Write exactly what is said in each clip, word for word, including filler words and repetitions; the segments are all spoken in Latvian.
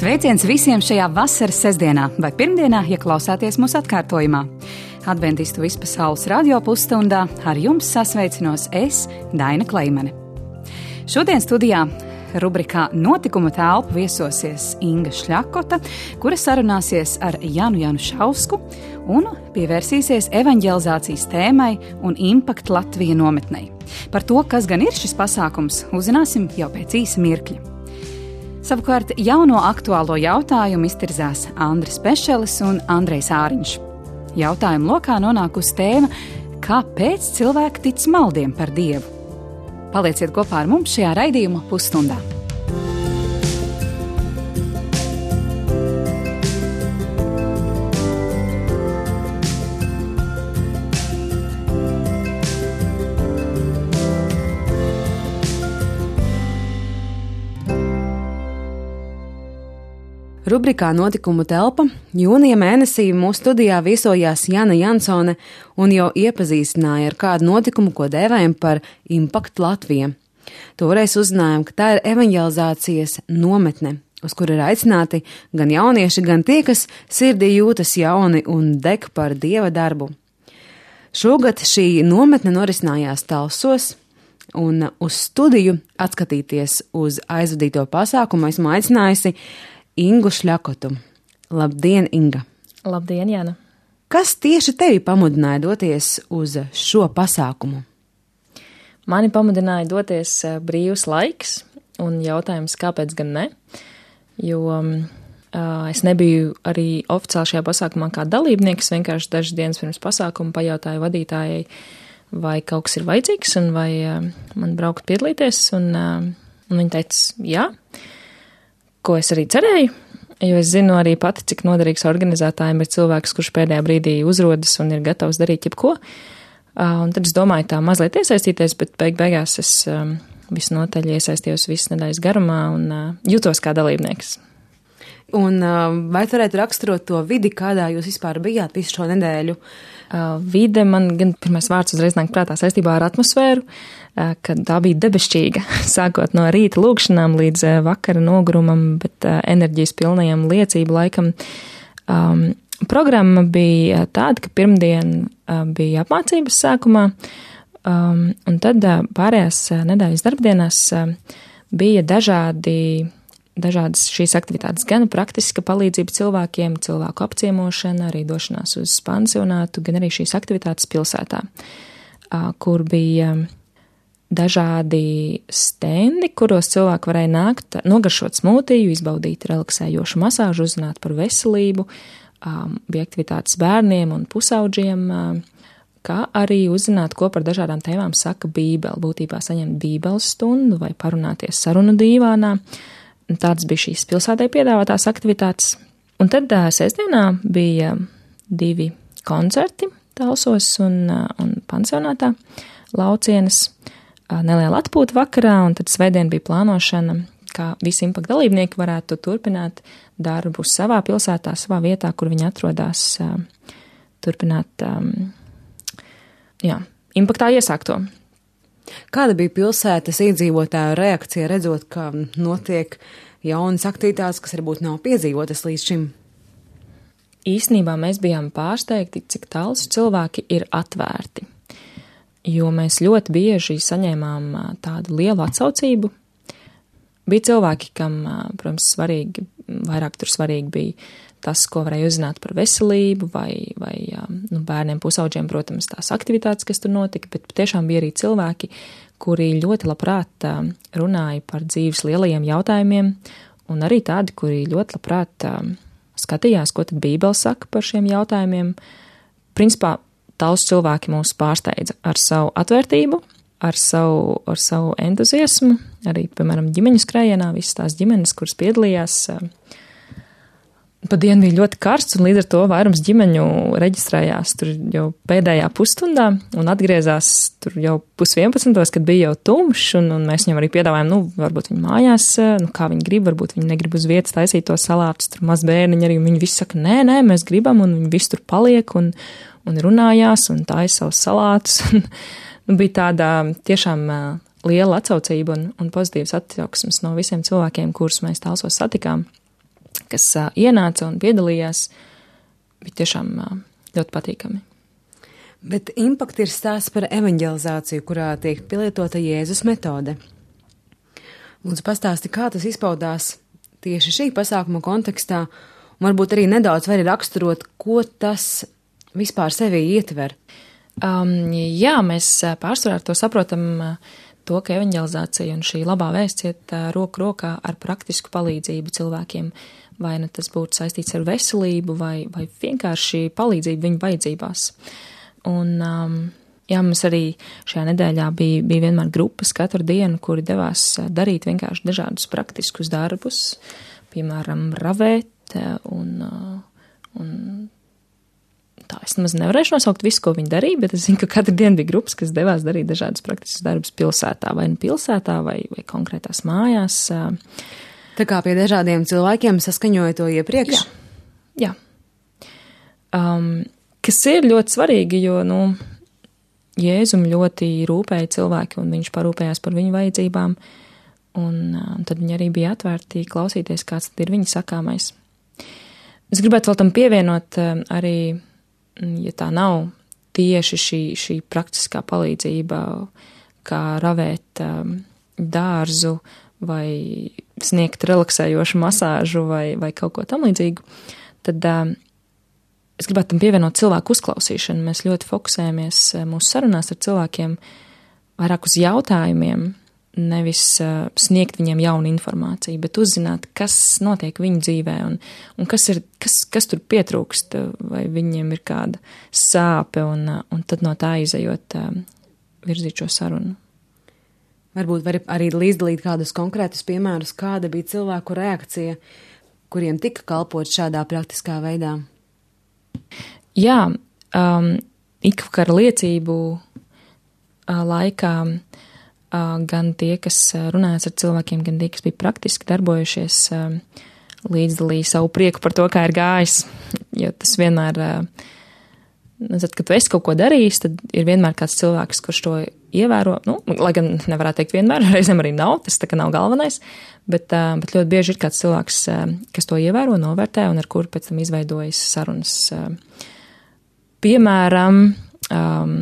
Sveiciens visiem šajā vasaras sestdienā vai pirmdienā, ja klausāties mūsu atkārtojumā. Adventistu vispasaules radio pusstundā ar jums sasveicinos es, Daina Kleimane. Šodien studijā rubrikā Notikumu telpu viesosies Inga Šļakota, kura sarunāsies ar Janu Janušausku un pievērsīsies evaņģelizācijas tēmai un Impact Latvija nometnei. Par to, kas gan ir šis pasākums, uzzināsim jau pēc īsa mirkļa. Savukārt jauno aktuālo jautājumu iztirzās Andris Pešelis un Andrejs Āriņš. Jautājumu lokā nonākusi tēma, kāpēc cilvēki tic maldiem par Dievu. Palieciet kopā ar mums šajā raidījuma pusstundā. Rubrikā Notikumu telpa jūnija mēnesī mūsu studijā viesojās Jana Jansone un jau iepazīstināja ar kādu notikumu, ko dēvējam par Impact Latvija. Toreiz uzzinājām, ka tā ir evaņģelizācijas nometne, uz kuru ir aicināti gan jaunieši, gan tie, kas sirdī jūtas jauni un deg par Dieva darbu. Šogad šī nometne norisinājās Talsos, un uz studiju atskatīties uz aizvadīto pasākumu esmu aicinājusi Ingu Šļakotu. Labdien, Inga! Labdien, Jana! Kas tieši tevi pamudināja doties uz šo pasākumu? Mani pamudināja doties brīvs laiks un jautājums, kāpēc gan ne, jo uh, es nebiju arī oficiāli šajā pasākumā kā dalībnieks, vienkārši dažas dienas pirms pasākuma pajautāju vadītājai, vai kaut kas ir vajadzīgs un vai uh, man braukt piedalīties, un, uh, un viņa teica, jā. Ko es arī cerēju, jo es zinu arī pati, cik noderīgs organizētājiem ir cilvēks, kurš pēdējā brīdī uzrodas un ir gatavs darīt jebko. Un tad es domāju tā mazliet iesaistīties, bet beig beigās es um, visnotaļ iesaistījos visas nedēļas garumā un uh, jūtos kā dalībnieks. Un uh, vai varētu raksturot to vidi, kādā jūs vispār bijāt visu šo nedēļu? Uh, vide man gan pirmais vārds uzreiz nāk prātā saistībā ar atmosfēru, uh, ka tā bija debešķīga, sākot no rīta lūkšanām līdz uh, vakara nogurumam, bet uh, enerģijas pilnajam liecību laikam. Um, programma bija tāda, ka pirmdien uh, bija apmācības sākumā, um, un tad uh, pārējās uh, nedēļas darbdienās uh, bija dažādi Dažādas šīs aktivitātes, gan praktiska palīdzība cilvēkiem, cilvēku apciemošana, arī došanās uz pansionātu, gan arī šīs aktivitātes pilsētā, kur bija dažādi stendi, kuros cilvēki varēja nākt, nogaršot smūtiju, izbaudīt relaksējošu masāžu, uzzināt par veselību, bija aktivitātes bērniem un pusaudžiem, kā arī uzzināt, ko par dažādām tēmām saka Bībele, būtībā saņemt Bībeles stundu vai parunāties sarunu dīvānā. Tādas bija šīs pilsētai piedāvātās aktivitātes. Un tad sestdienā bija divi koncerti Talsos un, un pansionātā Laucienes, neliela atpūta vakarā, un tad svētdien bija plānošana, kā visi Impact dalībnieki varētu turpināt darbu savā pilsētā, savā vietā, kur viņi atrodas, turpināt, jā, Impactā iesākto. Kāda bija pilsētas iedzīvotāju reakcija, redzot, ka notiek jaunas aktivitātes, kas varbūt nav piedzīvotas līdz šim? Īsnībā mēs bijām pārsteigti, cik tāls cilvēki ir atvērti, jo mēs ļoti bieži saņēmām tādu lielu atsaucību. Bija cilvēki, kam, protams, svarīgi, vairāk tur svarīgi bija tas, ko varēja uzzināt par veselību vai, vai nu, bērniem, pusauģiem, protams, tās aktivitātes, kas tur notika, bet tiešām bija arī cilvēki, kuri ļoti labprāt runāja par dzīves lielajiem jautājumiem, un arī tādi, kuri ļoti labprāt skatījās, ko tad Bībele saka par šiem jautājumiem. Principā, daudz cilvēki mūs pārsteidza ar savu atvērtību, ar savu, ar savu entuziasmu, arī, piemēram, ģimeņu skrējienā, visas tās ģimenes, kuras piedalījās. Pa dienu bija ļoti karsts, un līdz ar to vairums ģimeņu reģistrējās tur jau pēdējā pusstundā un atgriezās tur jau pusvienpadsmitos, kad bija jau tumšs, un, un mēs viņam arī piedāvājām, nu, varbūt viņi mājās, nu, kā viņi grib, varbūt viņi negrib uz vietas taisīt to salātus, tur maz bērniņi arī, viņi visi saka, nē, nē, mēs gribam, un viņi visi tur paliek, un, un runājās, un taisa savus salātus, un nu, bija tāda tiešām liela atsaucība un, un pozitīvas attieksmes no visiem cilvēkiem, kurus mēs Talsos satikām. kas ienāca un piedalījās, bija tiešām ļoti patīkami. Bet Impact ir stāsts par evanģelizāciju, kurā tiek pielietota Jēzus metode. Lūdzu, pastāsti, kā tas izpaudās tieši šī pasākuma kontekstā, un varbūt arī nedaudz vari raksturot, ko tas vispār sevī ietver. Um, jā, mēs pārsvarā to saprotam, to, ka evanģelizācija un šī labā vēsts iet roku rokā ar praktisku palīdzību cilvēkiem, vai ne tas būtu saistīts ar veselību, vai, vai vienkārši palīdzību viņu vajadzībās. Un, um, jā, mums arī šajā nedēļā bija, bija vienmēr grupas katru dienu, kuri devās darīt vienkārši dažādus praktiskus darbus, piemēram, ravēt un, un tā. Es nemaz nevarēšu nosaukt visu, ko viņi darīja, bet es zinu, ka katru dienu bija grupas, kas devās darīt dažādus praktiskus darbus pilsētā, vai nu pilsētā, vai, vai konkrētās mājās. Tā kā pie dažādiem cilvēkiem saskaņoja to iepriekš? Jā. Jā. Um, kas ir ļoti svarīgi, jo, nu, Jēzum ļoti rūpēja cilvēki, un viņš parūpējās par viņu vajadzībām, un um, tad viņi arī bija atvērti klausīties, kāds tad ir viņa sakāmais. Es gribētu vēl tam pievienot um, arī, ja tā nav tieši šī, šī praktiskā palīdzība, kā ravēt um, dārzu vai sniegt relaksējošu masāžu vai, vai kaut ko tam līdzīgu, tad um, es gribētu tam pievienot cilvēku uzklausīšanu. Mēs ļoti fokusējamies mūsu sarunās ar cilvēkiem vairāk uz jautājumiem, nevis uh, sniegt viņiem jaunu informāciju, bet uzzināt, kas notiek viņu dzīvē un, un kas, ir, kas, kas tur pietrūkst, vai viņiem ir kāda sāpe, un, un tad no tā izejot uh, virzīt šo sarunu. Varbūt var arī līdzdalīt kādus konkrētus piemērus, kāda bija cilvēku reakcija, kuriem tika kalpot šādā praktiskā veidā. Jā, um, ikvakara liecību uh, laikā uh, gan tie, kas runājas ar cilvēkiem, gan tie, kas bija praktiski darbojušies, uh, līdzdalīja savu prieku par to, kā ir gājis. Jo tas vienmēr, uh, nezinu, kad tu esi kaut ko darījis, tad ir vienmēr kāds cilvēks, kurš to ievēro. Nu, lai gan nevarētu teikt vienmēr, reizēm arī nav, tas tā kā nav galvenais, bet, uh, bet ļoti bieži ir kāds cilvēks, uh, kas to ievēro, novērtē un ar kuru pēc tam izveidojas sarunas. Uh, piemēram, um,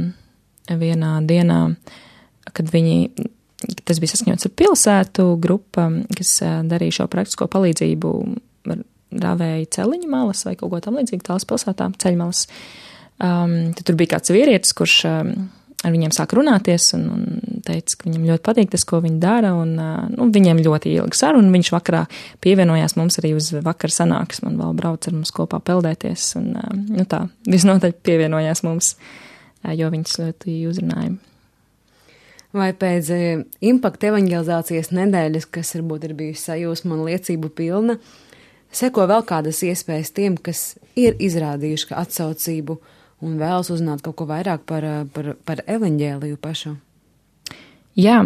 vienā dienā, kad viņi, tas bija saskaņots ar pilsētu grupa, kas uh, darīja šo praktisko palīdzību, ravēja celiņu malas vai kaut ko tam līdzīgi, tālas pilsētā, ceļmalas. Um, tad tur bija kāds vīrietis, kurš um, ar viņiem sāk runāties un, un teica, ka viņam ļoti patīk tas, ko viņi dara, un uh, nu, viņiem ļoti ilga saruna, un viņš vakarā pievienojās mums arī uz vakara sanāksmi un vēl brauc ar mums kopā peldēties, un uh, nu tā, visnotaļ pievienojās mums, uh, jo viņas ļoti uzrunāja. Vai pēc uh, Impact evanģelizācijas nedēļas, kas varbūt ir bijusi sajūsma un liecību pilna, seko vēl kādas iespējas tiem, kas ir izrādījuši atsaucību un vēlas uzzināt kaut ko vairāk par, par, par evaņģēliju pašu? Jā,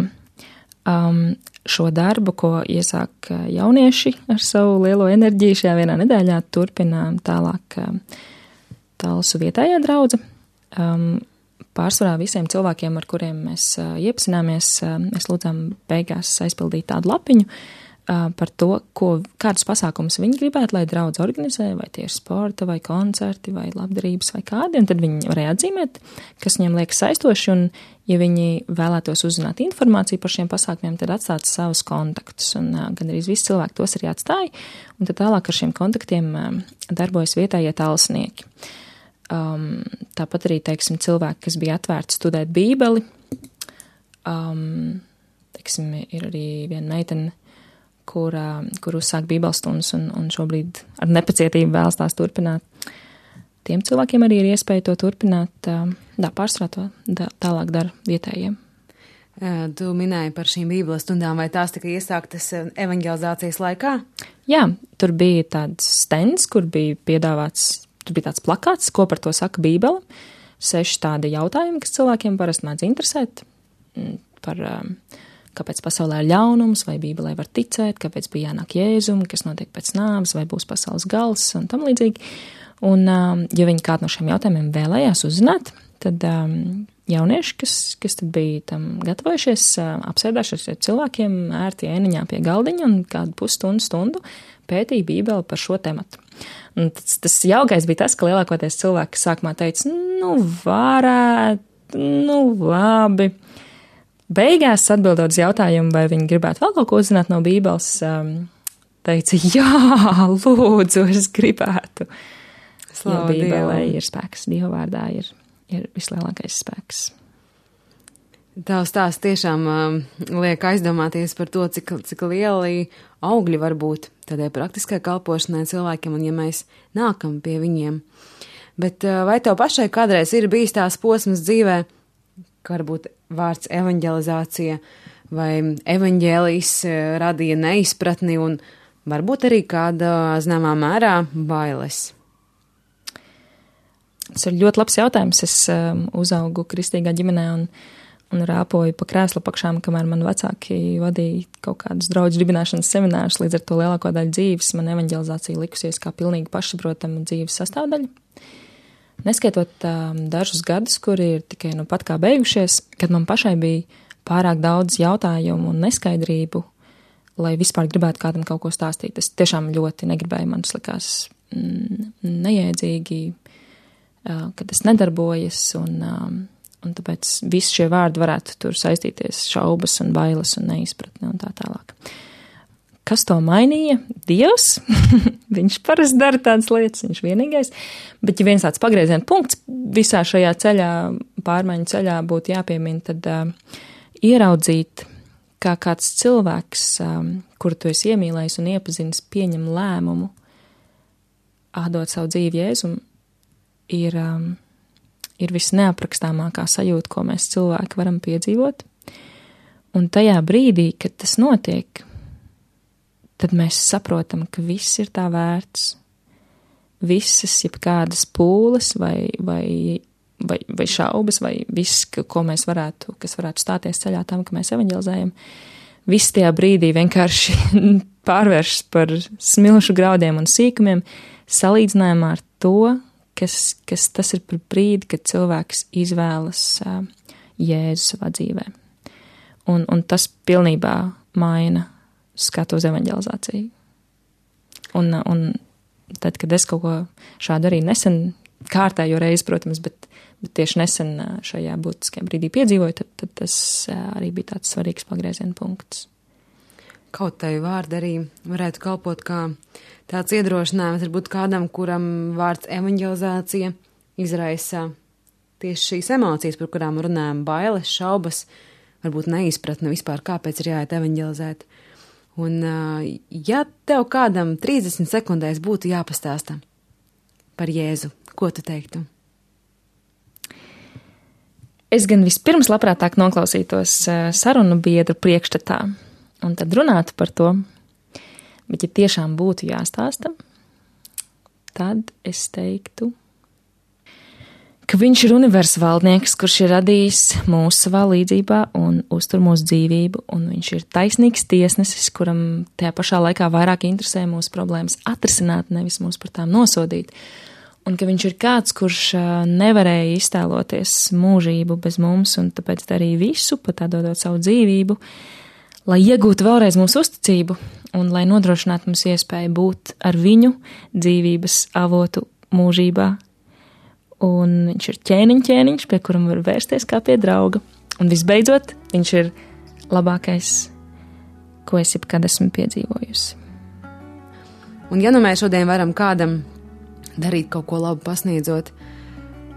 um, šo darbu, ko iesāk jaunieši ar savu lielo enerģiju šajā vienā nedēļā, turpina tālāk Talsu vietējā draudze. Um, pārsvarā visiem cilvēkiem, ar kuriem mēs uh, iepazināmies, uh, mēs lūdzām beigās aizpildīt tādu lapiņu, par to, ko, kādus pasākumus viņi gribētu, lai draudz organizē, vai tieši sporta, vai koncerti, vai labdarības, vai kādi, un tad viņi varēja atzīmēt, kas viņiem liekas saistoši, un ja viņi vēlētos uzzināt informāciju par šiem pasākumiem, tad atstāt savus kontaktus, un gan arī visi cilvēki tos arī atstāja, un tad tālāk ar šiem kontaktiem darbojas vietējie talsnieki. Um, tāpat arī, teiksim, cilvēki, kas bija atvērti studēt bībeli, um, teiksim, ir arī viena meitene, kur, kur uzsāk bībeles stundas un, un šobrīd ar nepacietību vēlas tās turpināt. Tiem cilvēkiem arī ir iespēja to turpināt, dā, pārsvarā to dā, tālāk dara vietējiem. Tu minēji par šīm bībeles stundām, vai tās tika iesāktas evaņģelizācijas laikā? Jā, tur bija tāds stends, kur bija piedāvāts, tur bija tāds plakāts, ko par to saka bībele, seši tādi jautājumi, kas cilvēkiem parasti mēdz interesēt par kāpēc pasaulē ir ļaunums, vai Bībelē var ticēt, kāpēc bija jānāk Jēzum, kas notiek pēc nāves, vai būs pasaules gals un tam līdzīgi. Un, ja viņi kādu no šiem jautājumiem vēlējās uzzināt, tad jaunieši, kas, kas tad bija tam gatavojušies, apsēdāšies ar cilvēkiem ērti ēniņā pie galdiņa un kādu pusstundu stundu pētīju Bībeli par šo tematu. Un tas, tas jaukais bija tas, ka lielākoties cilvēki sākumā teica, nu, varētu, nu, labi. Beigās atbildot uz jautājumu, vai viņi gribētu vēl kaut ko uzzināt no Bībeles, teica, jā, lūdzu, es gribētu. Jo Bībelē ir spēks, Dieva vārdā ir, ir vislielākais spēks. Tavs stāsts tiešām um, liek aizdomāties par to, cik, cik lieli augļi var būt tādai praktiskai kalpošanai cilvēkiem, un ja mēs nākam pie viņiem. Bet uh, vai tev pašai kādreiz ir bijis tās posmas dzīvē, ka varbūt vārds evanģelizācija vai evaņģēlijs radīja neizpratni un varbūt arī kāda zināmā mērā bailes? Tas ir ļoti labs jautājums. Es um, uzaugu kristīgā ģimenē un un rāpoju pa krēsla pakšām, kamēr man vecāki vadīja kaut kādus draudžu dibināšanas seminārus, līdz ar to lielāko daļu dzīves man evaņģelizācija likusies kā pilnīgi pašsaprotama dzīves sastāvdaļa. Neskaitot um, dažus gadus, kuri ir tikai nu pat kā beigušies, kad man pašai bija pārāk daudz jautājumu un neskaidrību, lai vispār gribētu kādam kaut ko stāstīt. Es tiešām ļoti negribēju, man tas likās mm, nejēdzīgi, uh, kad tas nedarbojas un um, un tāpēc visi šie vārdi varētu tur saistīties šaubas un bailes un neizpratne un tā tālāk. Kas to mainīja? Dievs. Viņš parasti dara tādas lietas, viņš vienīgais. Bet ja viens tāds pagrieziena punkts visā šajā ceļā, pārmaiņu ceļā būtu jāpiemina, tad uh, ieraudzīt, kā kāds cilvēks, um, kuru tu esi iemīlējis un iepazinis, pieņem lēmumu, atdot savu dzīvi Jēzum, ir... Um, ir visneaprakstāmākā sajūta, ko mēs cilvēki varam piedzīvot. Un tajā brīdī, kad tas notiek, tad mēs saprotam, ka viss ir tā vērts. Visas, jebkādas pūles vai, vai, vai, vai šaubas, vai viss, ko mēs varētu, kas varētu stāties ceļā tam, ka mēs evaņģelizējam, viss tajā brīdī vienkārši pārvēršas par smilšu graudiem un sīkumiem, salīdzinājumā ar to, Kas, kas tas ir par brīdi, kad cilvēks izvēlas uh, Jēzu savā dzīvē. Un, un tas pilnībā maina skatu uz evaņģelizāciju. Un, un tad, kad es kaut ko šādu arī nesen, kārtējo reizi, protams, bet, bet tieši nesen šajā būtiskajā brīdī piedzīvoju, tad, tad tas uh, arī bija tāds svarīgs pagrieziena punkts. Kaut tai vārdi arī varētu kalpot kā tāds iedrošinājums, varbūt kādam, kuram vārds evaņģelizācija izraisa tieši šīs emocijas, par kurām runājam, bailes, šaubas, varbūt neizpratne vispār, kāpēc ir jāiet evaņģelizēt. Un, ja tev kādam trīsdesmit sekundēs būtu jāpastāsta par Jēzu, ko tu teiktu? Es gan vispirms labprātāk noklausītos sarunu biedru priekšstatā un tad runātu par to, bet ja tiešām būtu jāstāsta, tad es teiktu, ka viņš ir universa valdnieks, kurš ir radījis mūsu savā līdzībā un uztur mūsu dzīvību, un viņš ir taisnīgs tiesnesis, kuram tajā pašā laikā vairāk interesē mūsu problēmas atrisināt, nevis mūs par tām nosodīt, un ka viņš ir kāds, kurš nevarēja iztēloties mūžību bez mums, un tāpēc darīja visu, pat atdodot savu dzīvību, lai iegūtu vēlreiz mūsu uzticību un lai nodrošinātu mums iespēju būt ar viņu dzīvības avotu mūžībā. Un viņš ir ķēniņ ķēniņš, pie kuram var vērsties kā pie drauga. Un visbeidzot, viņš ir labākais, ko es jebkad esmu piedzīvojusi. Un ja nu mēs šodien varam kādam darīt kaut ko labu pasniedzot,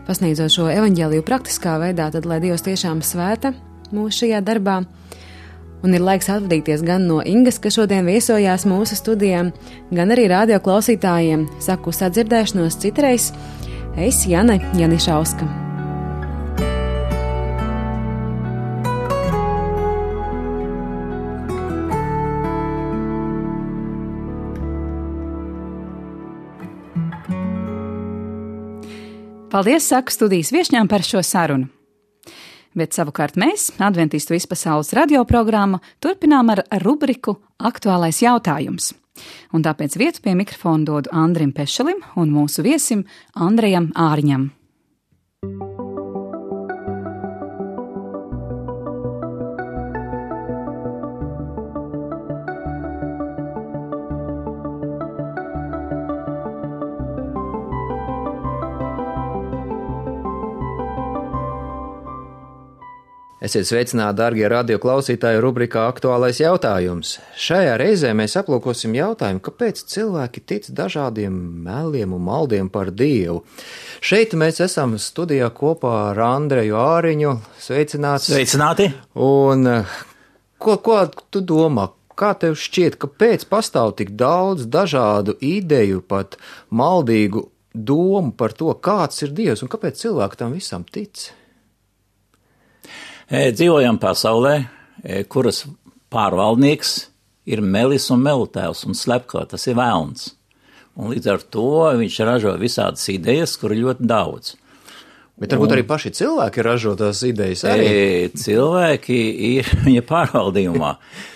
pasniedzot šo evaņģēliju praktiskā veidā, tad lai Dievs tiešām svēta mūsu šajā darbā. Un ir laiks atvadīties gan no Ingas, kas šodien viesojās mūsu studijām, gan arī radio klausītājiem. Saku sadzirdēšanos citreiz. Es Jane Janišauska. Paldies, saku studijas viešņām par šo sarunu. Bet savukārt mēs, Adventistu vispasaules radioprogrammu, turpinām ar rubriku Aktuālais jautājums. Un tāpēc vietu pie mikrofona dodu Andrim Pešalim un mūsu viesim Andrejam Ārņam. Esiet sveicināti, darbie radioklausītāji, rubrikā Aktuālais jautājums. Šajā reizē mēs aplūkosim jautājumu, kāpēc cilvēki tic dažādiem meliem un maldiem par Dievu. Šeit mēs esam studijā kopā ar Andreju Āriņu. Sveicināts! Sveicināti! Un ko, ko tu domā? Kā tev šķiet, kāpēc pastāv tik daudz dažādu ideju, pat maldīgu domu par to, kāds ir Dievs un kāpēc cilvēki tam visam tic? Dzīvojam pasaulē, kuras pārvaldnieks ir melis un melutēvs un slepkava, tas ir velns. Un līdz ar to viņš ražo visādas idejas, kur ir ļoti daudz. Bet varbūt un, arī paši cilvēki ražo tās idejas arī. Cilvēki ir viņa pārvaldījumā.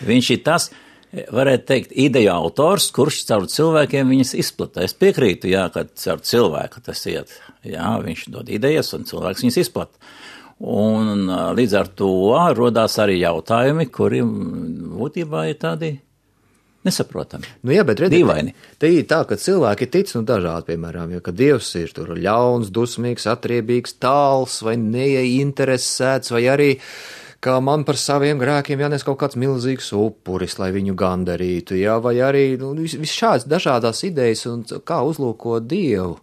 Viņš ir tas, varētu teikt, ideja autors, kurš caur cilvēkiem viņas izplata. Es piekrītu, jā, ka caur cilvēku tas iet. Jā, viņš dod idejas un cilvēks viņas izplata. Un līdz ar to rodās arī jautājumi, kuri būtībā ir tādi nesaprotami. Nu jā, bet redziet, dīvaini. Te ir tā, ka cilvēki tic, nu dažādi, piemēram, jo, ka Dievs ir tur ļauns, dusmīgs, atriebīgs, tāls vai neieinteresēts, vai arī, kā man par saviem grēkiem jānes kaut kāds milzīgs upuris, lai viņu gandarītu, jā, vai arī, nu, vis, vis šāds dažādās idejas un kā uzlūkot Dievu.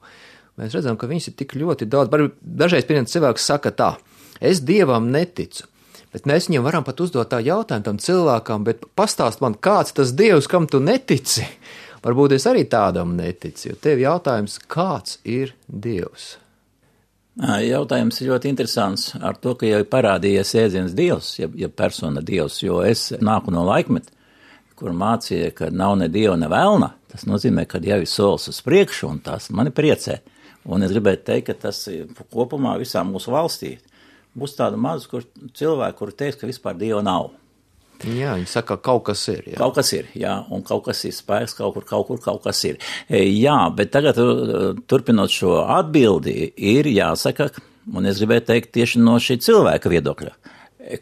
Mēs redzam, ka viņas ir tik ļoti daudz. Dažreiz, piemēram, cilvēks saka tā, es Dievam neticu, bet mēs viņam varam pat uzdot tā jautājumu tam cilvēkam, bet pastāst man, kāds tas Dievs, kam tu netici? Varbūt es arī tādam neticu, jo tev jautājums, kāds ir Dievs? Jautājums ir ļoti interesants ar to, ka jau ir parādījies jēdziens Dievs, ja, ja persona Dievs, jo es nāku no laikmeta, kur mācīja, ka nav ne Dieva, ne velna. Tas nozīmē, ka jau ir solis uz priekšu, un tas mani priecē. Un es gribētu teikt, ka tas kopumā visā mūsu valstī būs tāda maza kur cilvēki, kuri teiks, ka vispār Dieva nav. Jā, viņi saka, ka kaut kas ir. Jā. Kaut kas ir, jā, un kaut kas ir spēks, kaut kur, kaut kur, kaut kas ir. Jā, bet tagad, turpinot šo atbildi, ir jāsaka, un es gribētu teikt tieši no šī cilvēka viedokļa,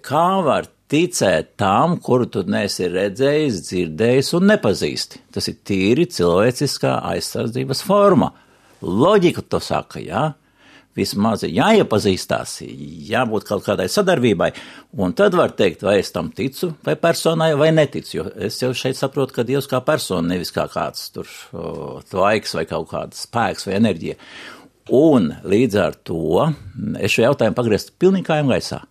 kā var ticēt tam, kuru tu neesi redzējis, dzirdējis un nepazīsti. Tas ir tīri cilvēciskā aizsardzības forma. Loģika to saka, jā. Vismaz jāiepazīstās, jābūt kaut kādai sadarbībai, un tad var teikt, vai es tam ticu, vai personai, vai neticu, jo es jau šeit saprotu, ka Dievs kā persona, nevis kā kāds tur tvaiks vai kaut kāds spēks vai enerģija. Un līdz ar to es šo jautājumu pagriezt pilnīgi kājām gaisā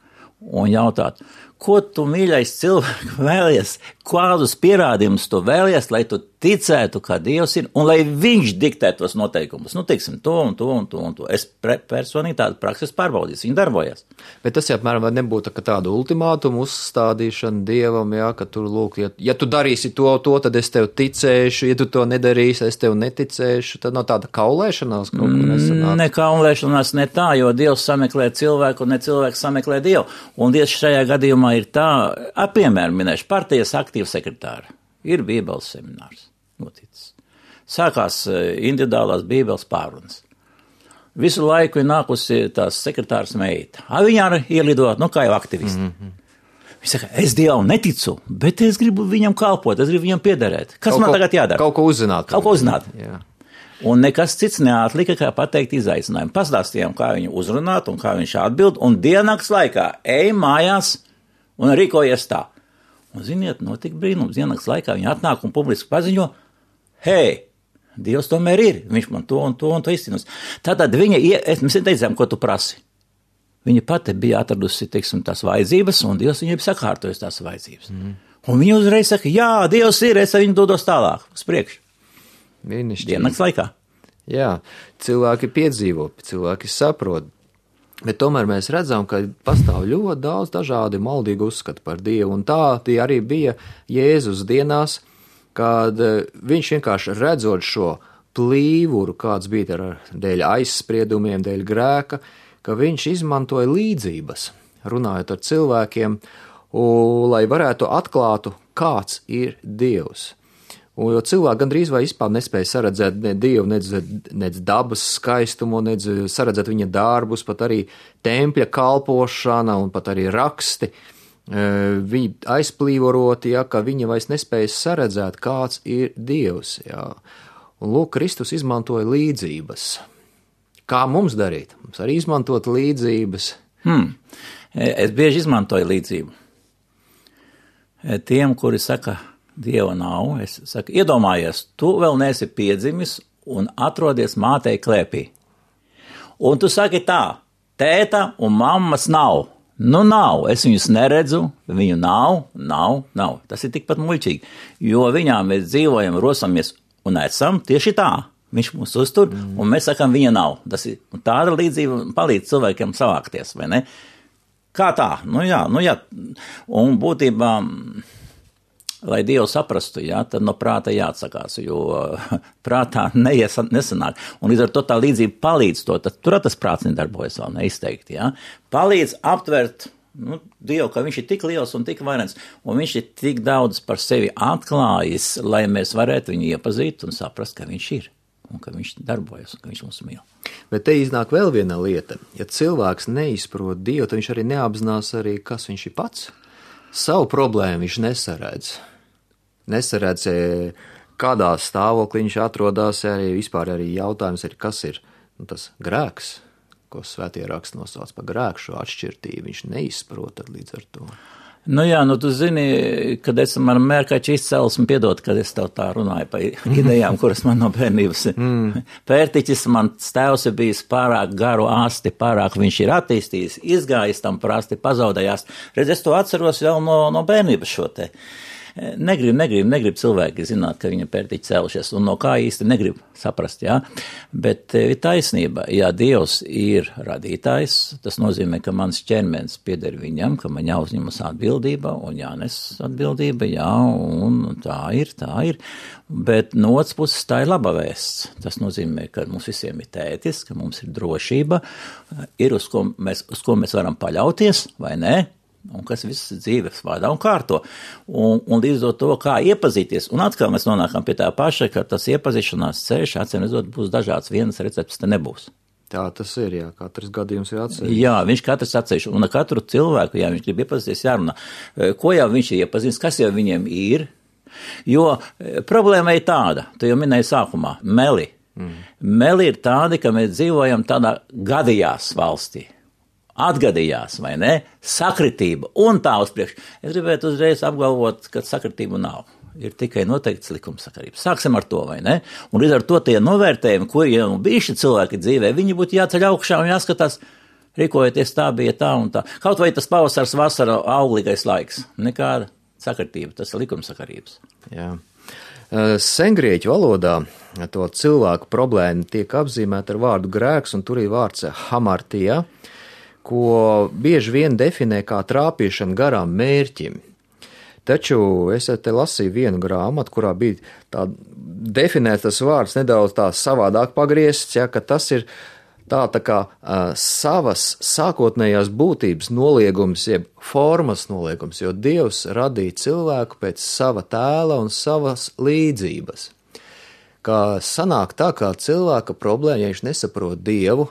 un jautāt, ko tu, mīļais cilvēks, vēlies, kādus pierādījumus tu vēlies, lai tu ticētu, ka Dievs ir, un lai viņš diktē tos noteikumus. Nu, teiksim, to un to un to un to. Es pre, personīgi tādu prakses pārbaudīju, viņi darbojas. Bet tas, ja, apmēram, nebūtu tā tādu ultimātumu uzstādīšanu Dievam, jā, ka tur, lūk, ja, ja tu darīsi to, to, tad es tev ticēšu, ja tu to nedarīsi, es tev neticēšu, tad nav tāda kaulēšanās kaut kur nesanāk. Ne kaulēšanās, ne tā, jo Dievs sameklē cilvēku, un ne cilvēks sameklē Dievu. Un tieši šajā gadījumā ir tā, piemēram, minēšu, partijas aktīva sekretāra. Ir bībeles seminārs noticis. Sākās individuālās bībeles pārunas. Visu laiku ir nākusi tās sekretāras meita. Viņa arī ielidot, nu kā jau aktivisti. Mm-hmm. Viņa saka, es Dievam neticu, bet es gribu viņam kalpot, es gribu viņam piederēt. Kas kaut man ko, tagad jādara? Kaut ko uzzināt. Kaut ko uzzināt. Jā. Un nekas cits neatlika, kā pateikt izaicinājumu. Pastāstījām, kā viņu uzrunāt un kā viņš atbild, un diennakts laikā ej mājās un rīkojies tā. Un, ziniet, notika brīnums. Diennakts laikā viņa atnāk un publiski paziņo, hei, Dievs tomēr ir, viņš man to un to un to izcinus. Tātad viņa, es, mēs teicām, ko tu prasi. Viņa pati bija atradusi, teiksim, tās vajadzības, un Dievs viņai bija sakārtojis tās vajadzības. Mm. Un viņa uzreiz saka, jā, Dievs ir, es ar viņu dodos tālāk, uz priekšu. Diennakts laikā. Jā, cilvēki piedzīvo, cilvēki saprot. Bet tomēr mēs redzam, ka pastāv ļoti daudz dažādi maldīgi uzskati par Dievu, un tā tie arī bija Jēzus dienās, kad viņš vienkārši redzot šo plīvuru, kāds bija ar dēļ aizspriedumiem, dēļ grēka, ka viņš izmantoja līdzības, runājot ar cilvēkiem, un, lai varētu atklātu, kāds ir Dievs. Un, jo cilvēki gandrīz vai vispār nespēja saredzēt ne Dievu, nec, nec dabas skaistumu, nec saredzēt viņa darbus, pat arī tempļa kalpošana un pat arī raksti. Viņi aizplīvoroti, ja, ka viņi vairs nespēja saredzēt, kāds ir Dievs. Ja. Un lūk, Kristus izmantoja līdzības. Kā mums darīt? Mums arī izmantot līdzības. Hmm. Es bieži izmantoju līdzību. Tiem, kuri saka, Dieva nav, es saku, iedomājies, tu vēl neesi piedzimis un atrodies mātei klēpī. Un tu saki tā, tēta un mammas nav. Nu nav, es viņus neredzu, viņu nav, nav, nav. Tas ir tikpat muļķīgi, jo viņām mēs dzīvojam, rosamies un esam tieši tā. Viņš mūs uztur, mm. un mēs sakam, viņa nav. Tas ir tāda līdzība palīdz cilvēkiem savākties, vai ne? Kā tā? Nu jā, nu jā. Un būtībā, lai Dievu saprastu, jā, tad no prāta jāatsakās, jo prātā neies, nesanāk. Un līdz ar to tā līdzība palīdz to, tad tur tas prāts nedarbojas vēl neizteikti, jā. Palīdz aptvert, nu, Dievu, ka viņš ir tik liels un tik vairens, un viņš ir tik daudz par sevi atklājis, lai mēs varētu viņu iepazīt un saprast, ka viņš ir, un ka viņš darbojas, un ka viņš mums mīl. Bet te iznāk vēl viena lieta. Ja cilvēks neizprot Dievu, tad viņš arī neapzinās arī, kas viņš ir pats. Savu problēmu viņš nesaredz. Nesaredz, kādā stāvoklī viņš atrodas, arī vispār arī jautājums ir, kas ir nu, tas grēks, ko svētie raksti nosauc par grēku, šo atšķirtību. Viņš neizprot līdz ar to. Nu jā, nu tu zini, kad esam ar mērkaču izcelsmi, piedod, kad es tev tā runāju par idejām, kuras man no bērnības. Mm. Pērtiķis, man tēvs ir bijis pārāk garu asti, pārāk viņš ir attīstījis, izgājis tam prasti, pazaudējās. Redz, es to atceros vēl no, no bērnības šo te. Negrib, negrib, negrib cilvēki zināt, ka viņa pērtiķi cēlušies, un no kā īsti negrib saprast, jā. Bet ir taisnība, ja Dievs ir radītājs, tas nozīmē, ka mans ķermenis pieder viņam, ka man jāuzņemas atbildība un jānes atbildība, jā, un tā ir, tā ir. Bet no otras puses tā ir laba vēsts. Tas nozīmē, ka mums visiem ir tētis, ka mums ir drošība, ir uz ko mēs, uz ko mēs varam paļauties, vai ne? Un kas viss dzīves vada un kārto. Un, un līdz to, kā iepazīties. Un atkal mēs nonākam pie tā paša, ka tas iepazīšanās ceļš, acīm redzot, būs dažāds. Vienas receptes te nebūs. Tā tas ir, jā. Katrs gadījums ir atsevišķi. Jā, viņš katrs atsevišķi. Un ar katru cilvēku, ja viņš grib iepazīties, jārunā. Ko jau viņš ir iepazīstis, kas jau viņiem ir. Jo problēma ir tāda, tu jau minēji sākumā, meli. Mm. Meli ir tādi, ka mēs dzīvojam tādā gadījās valstī. Atgadījās, vai ne? Sakritība un tā uz priekšu. Es gribētu uzreiz apgalvot, ka sakritība nav. Ir tikai noteikts likumsakarības. Sāksim ar to, vai ne? Un līdz ar to tie novērtējumi, kuri jau bijuši cilvēki dzīvē, viņi būtu jāceļ augšā un jāskatās, rīkojoties tā bija tā un tā. Kaut vai tas pavasars, vasara, auglīgais laiks. Nekāda sakritība, tas ir likumsakarības. Jā. Sengrieķu valodā to cilvēku problēmu tiek apzīmēta ar vārdu grēks, un tur ir vārds hamartija, ko bieži vien definē kā trāpīšana garām mērķim. Taču es te lasīju vienu grāmatu, kurā bija tā definēts tas vārds nedaudz tā savādāk pagriezts, ja, ka tas ir tā, tā kā uh, savas sākotnējās būtības noliegums, jeb formas noliegums, jo Dievs radīja cilvēku pēc sava tēla un savas līdzības. Kā sanāk tā, kā cilvēka problēma, ja viņš nesaprot Dievu,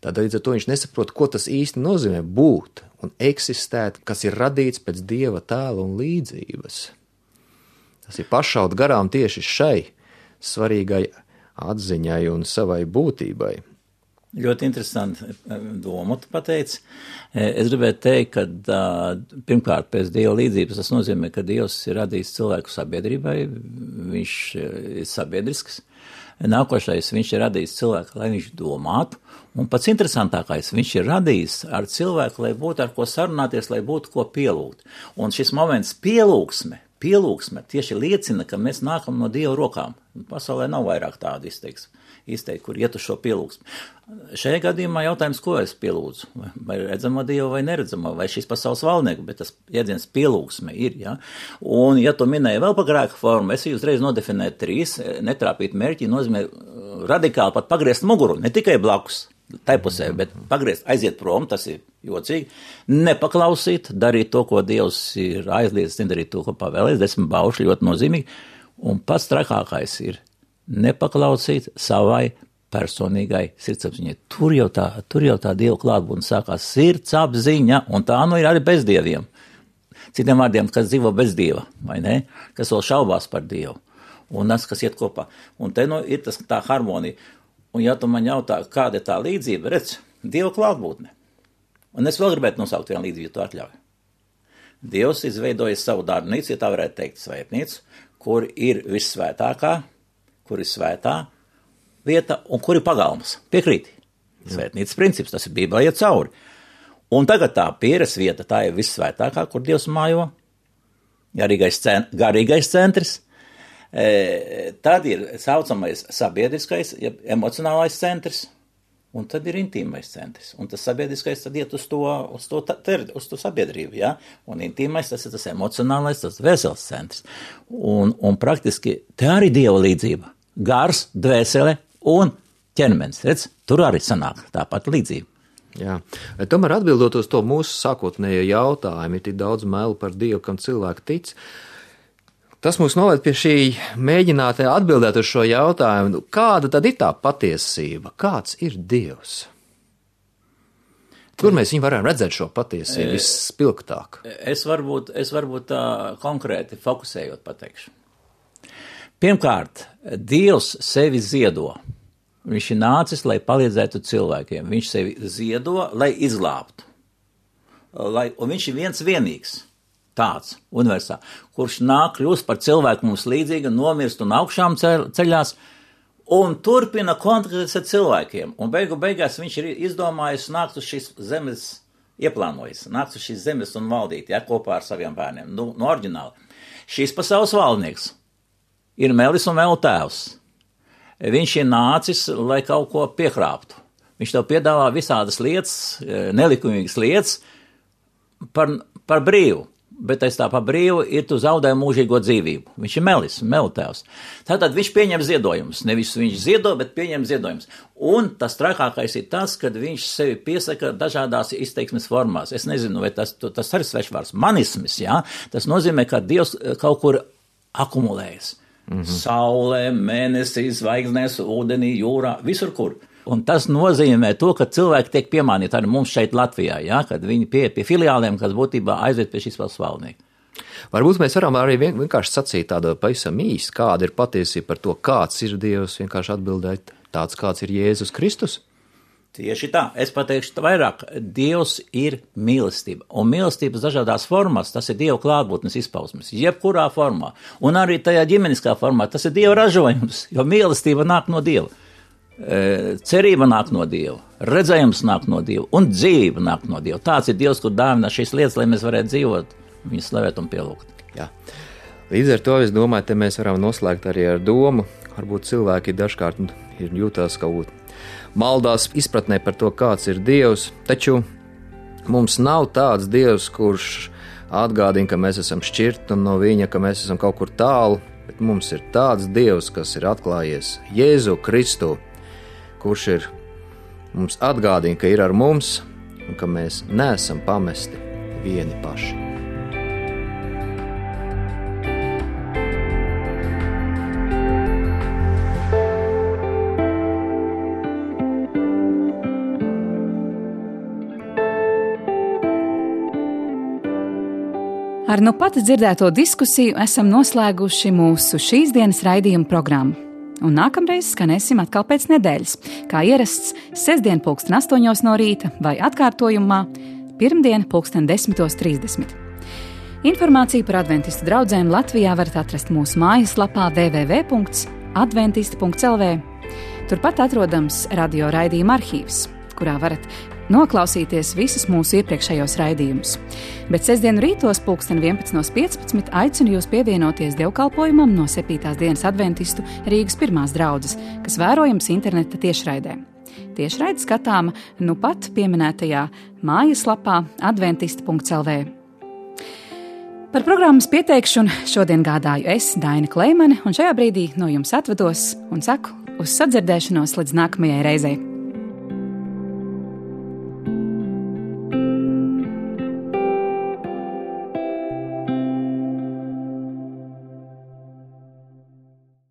tad līdz ar to viņš nesaprot, ko tas īsti nozīmē būt un eksistēt, kas ir radīts pēc Dieva tēla un līdzības. Tas ir pašaut garām tieši šai svarīgai atziņai un savai būtībai. Ļoti interesanti domu tu pateici. Es gribētu teikt, ka pirmkārt pēc Dieva līdzības tas nozīmē, ka Dievs ir radījis cilvēku sabiedrībai, viņš ir sabiedrisks. Nākošais, viņš ir radījis cilvēku, lai viņš domātu, un pats interesantākais, viņš ir radījis ar cilvēku, lai būtu ar ko sarunāties, lai būtu ko pielūgt. Un šis moments pielūgsme, pielūgsme tieši liecina, ka mēs nākam no Dieva rokām. Pasaulē nav vairāk tādu izteiks, izteikt, kur iet uz šo pielūgsmi. Šajā gadījumā jautājums, ko es pielūdzu? Vai redzamo Dievu vai neredzamo, vai šīs pasaules valdnieku, bet tas jēdziens pielūgsme ir, ja? Un, ja tu minēji vēl par grēka formu, es uzreiz nodefinēju trīs, netrāpīt mērķi, nozīmē radikāli pat pagriezt muguru, ne tikai blakus, tai pusē, bet pagriezt, aiziet prom, tas ir jocīgi, nepaklausīt, darīt to, ko Dievs ir aizliedzis, nedarīt to, ko pavēlēs, desmit baušļi ļoti nozīmīgi, un pats trakākais ir nepaklausīt savai personīgai sirdsapziņai. Tur jau tā, tur jau tā Dieva klātbūtne sākās sirdsapziņa, un tā nu ir arī bez dieviem. Citiem vārdiem, kas dzīvo bez Dieva, vai ne? Kas vēl šaubās par Dievu, un tas, kas iet kopā. Un te nu ir tas tā harmonija. Un ja tu man jautā, kāda ir tā līdzība, redz, Dieva klātbūtne. Un es vēl gribētu nosaukt vienu līdzību, ja tu atļauj. Dievs izveidojis savu darbnīcu, ja tā varētu teikt svētnīcu, kur ir vissvētākā, kur ir svētā vieta un kur ir pagalmas. Piekrīti. Svētnīcas princips, tas ir Bībelē iet cauri. Un tagad tā pieres vieta, tā ir vissvētākā, kur Dievs mājo, garīgais, cent, garīgais centrs. E, tad ir saucamais sabiedriskais, ja emocionālais centrs, un tad ir intīmais centrs. Un tas sabiedriskais tad iet uz to, uz to, ter, uz to sabiedrību, ja? Un intīmais tas ir tas emocionālais, tas vesels centrs. Un, un praktiski te arī Dieva līdzība. Gars, dvēsele un ķermenis. Redz, tur arī sanāk tāpat līdzība. Jā, tomēr atbildot uz to mūsu sākotnējo jautājumu, ir tik daudz melu par Dievu, kam cilvēki tic. Tas mūs noved pie šī mēģināt atbildēt uz šo jautājumu, kāda tad ir tā patiesība, kāds ir Dievs? Kur mēs viņu varam redzēt šo patiesību visspilgtāk? Es varbūt, es varbūt tā konkrēti fokusējot pateikšu. Pirmkārt, Dievs sevi ziedo. Viņš ir nācis, lai palīdzētu cilvēkiem. Viņš sevi ziedo, lai izglābtu. Lai, un viņš ir viens vienīgs. Tāds universāls, kurš nāk kļūst par cilvēku mums līdzīga, nomirst un augšām ceļās un turpina kontaktēties ar cilvēkiem. Un beigu beigās viņš ir izdomājis nākt uz šīs zemes, ieplānojis, nākt uz šīs zemes un valdīt, ja, kopā ar saviem bērniem. Nu, no oriģināli. Šīs pasaules valdnieks ir Melis un Melu tēvs. Viņš ir nācis, lai kaut ko piekrāptu. Viņš tev piedāvā visādas lietas, nelikumīgas lietas par, par brīvu. Bet aiz tā pa brīvu ir tu zaudē mūžīgo dzīvību. Viņš ir Melis, Melu tēvs. Tātad viņš pieņem ziedojumus. Nevis viņš ziedo, bet pieņem ziedojumus. Un tas trakākais ir tas, kad viņš sevi piesaka dažādās izteiksmes formās. Es nezinu, vai tas, tas arī svešvārds. Manisms, jā? Tas nozīmē, ka Dievs kaut kur akumulējas. Mm-hmm. Saulē, mēnesī, zvaigznēs, ūdenī, jūrā, visur kur. Un tas nozīmē to, ka cilvēki tiek piemānīti arī mums šeit Latvijā, ja, kad viņi pie, pie filiāliem, kas būtībā aiziet pie šīs valsts valdnieka. Varbūt mēs varam arī vien, vienkārši sacīt tādu pavisam īsti, kāda ir patiesība par to, kāds ir Dievs, vienkārši atbildēt tāds, kāds ir Jēzus Kristus. Tieši tā, es pateikšu vairāk, Dievs ir mīlestība, un mīlestības dažādās formās, tas ir Dieva klātbūtnes izpausmes, jebkurā formā, un arī tajā ģimeniskā formā, tas ir Dieva ražojums, jo mīlestība nāk no Dieva. Cerība nāk no Dieva, redzējums nāk no Dieva un dzīve nāk no Dieva. Tāds ir Dievs, kur dāvina šīs lietas, lai mēs varētu dzīvot, viņu slavēt un pielūgt. Jā. Līdz ar to, es domāju, te mēs varam noslēgt arī ar domu, varbūt cilvēki dažkārt ir jūtās kaut maldās izpratnē par to, kāds ir Dievs, taču mums nav tāds Dievs, kurš atgādina, ka mēs esam šķirti no viņa, ka mēs esam kaut kur tālu, bet mums ir tāds Dievs, kas ir atklājies Jēzu Kristu, kurš ir mums atgādina, ka ir ar mums un ka mēs neesam pamesti vieni paši. Ar nu pat dzirdēto diskusiju esam noslēguši mūsu šīs dienas raidījuma programmu. Un nākamreiz skanēsim atkal pēc nedēļas, kā ierasts sestdien pulksten astoņos no rīta vai atkārtojumā pirmdien pulksten desmitos trīsdesmit. Informāciju par adventistu draudzēm Latvijā varat atrast mūsu mājaslapā w w w punkts adventisti punkts l v. Turpat atrodams radio raidījuma arhīvs, kurā varat noklausīties visus mūsu iepriekšējos raidījumus. Bet sestdienu rītos pulksten vienpadsmit piecpadsmit aicinu jūs pievienoties dievkalpojumam no septītās dienas adventistu Rīgas pirmās draudzes, kas vērojams interneta tiešraidē. Tiešraide skatāma nu pat pieminētajā mājaslapā adventisti punkts l v. Par programmas pieteikšanu šodien gādāju es, Daina Kleimane, un šajā brīdī no jums atvados un saku uz sadzirdēšanos līdz nākamajai reizei.